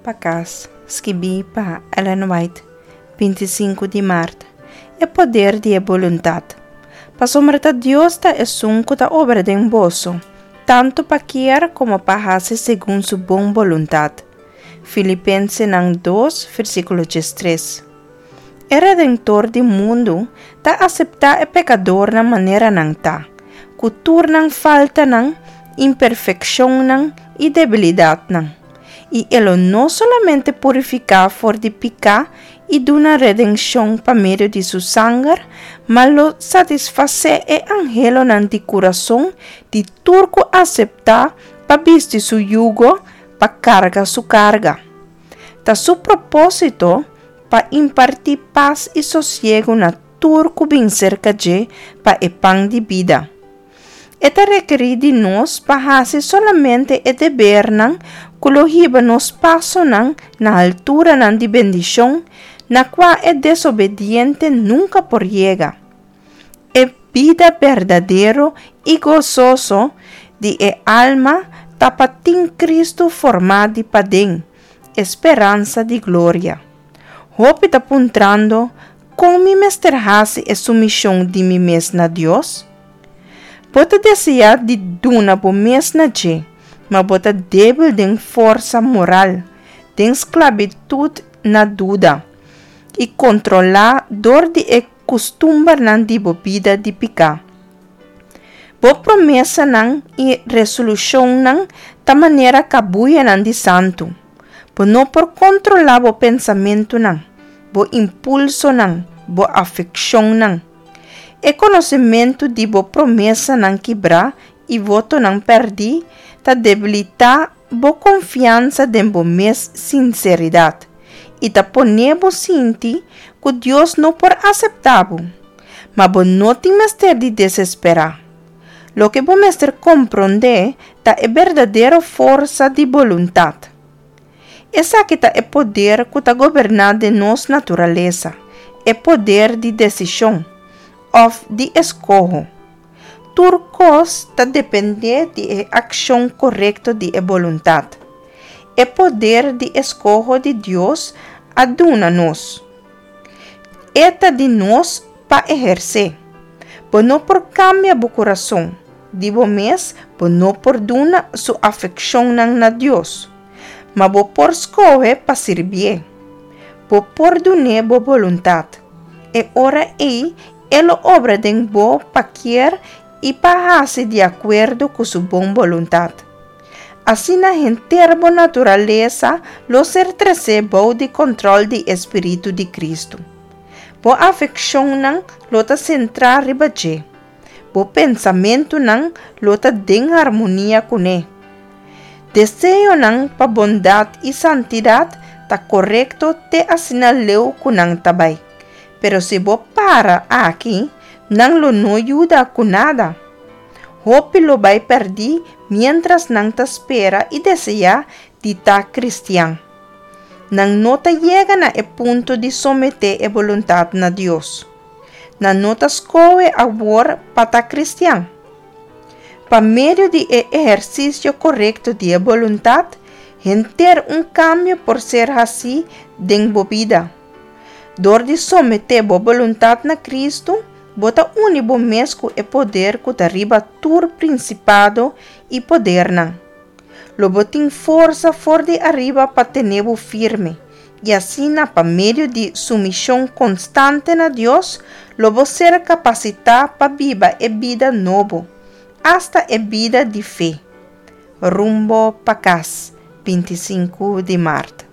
pa Kas, skibí pa Ellen White, 25 di mart. E poder di e boluntat. Pasobra ta Dios ta esun ku ta obra den boso, tantu pa kier komo pa hasi segun su bon boluntat. Filipensenan 2, versíkulo 13. E Redentor di mundu ta aseptá e pekadornan manera nan ta, ku tur nan faltanan, imperfekshonnan i debilidatnan, i e lo no solamente purifiká for di piká i duna redenshon pa medio di su sanger, ma lo satisfasé e anhelonan di kurason di tur ku aseptá pa bisti su yugo, pa karga su karga. Ta su propósito pa impartí pas i sosiegu na tur ku bin serka dje pa e pan di bida. E ta rekerí di nos pa hasi solamente e debernan ku lo hiba nos pasonan na alturanan di bendishon na kua e desobediente nunka por yega. E bida berdadero i gososo di e alma ta pa tin Kristu formá di paden, e speransa di gloria. Hopi ta puntrando, Kon mi mester hasi e sumishon di mi mes na Dios? Bo ta deseá di duna bo mes na dje, ma bo ta débil den forsa moral, den sklabitut na duda, i kontrolá dor di e kustumbernan di bo bida di piká. Bo promesanan i resolushonnan ta manera kabuyanan di santu. Bo no por kontrolá bo pensamentunan, bo impulsonan, bo afekshonnan. E konosementu di bo promesanan kibrá i votonan pèrdí ta debilitá bo konfiansa den bo mes sinseridat i ta pone bo sinti ku Dios no por aseptá bo. Ma bo no tin mester di desesperá. Loke bo mester komprondé ta e berdadero forsa di boluntat. Esaki ta e poder ku ta goberná den nos naturalesa, e poder di desishon, òf di eskoho. Tur kos ta dependé di e akshon korekto di e boluntat. E poder di eskoho di Dios a duna nos. E ta di nos pa ehersé. Bo no por kambia bo kurason. Di bo mes bo no por duna su afekshonnan na Dios, ma bo por skohe pa sirbié. Bo por dun'é bo boluntat. E ora ei e lo obra den bo pa kier i pa hasi di akuerdo ku su bon boluntat. Asina henter bo naturalesa lo ser tresé bou di kòntròl di e spiritu di Kristu. Bo afekshonnan lo ta sentrá riba dje. Bo pensamentunan lo ta den harmonia kuné. Deseonan pa bondat i santidat ta korekto te asina leu ku nan ta bai, pero si bo para aki, nan lo no yuda ku nada. Hopi lo bai pèrdí miéntras nan ta spera i deseá di ta kristian. Nan no ta yega na e punto di someté e boluntat na Dios. Nan no ta skohe awor pa ta kristian. Pa medio di e ehersisio korekto di e boluntat, henter un kambio por ser hasí den bo bida. Dor di someté bo boluntat na Kristu, bo ta uni bo mes ku e poder ku ta riba tur prinsipado i podernan. Lo bo tin forsa for di ariba pa tene bo firme, i asina pa medio di sumishon konstante na Dios lo bo ser kapasitá pa biba e bida nobo, asta e bida di fe. Rumbo pa kas, 25 di mart.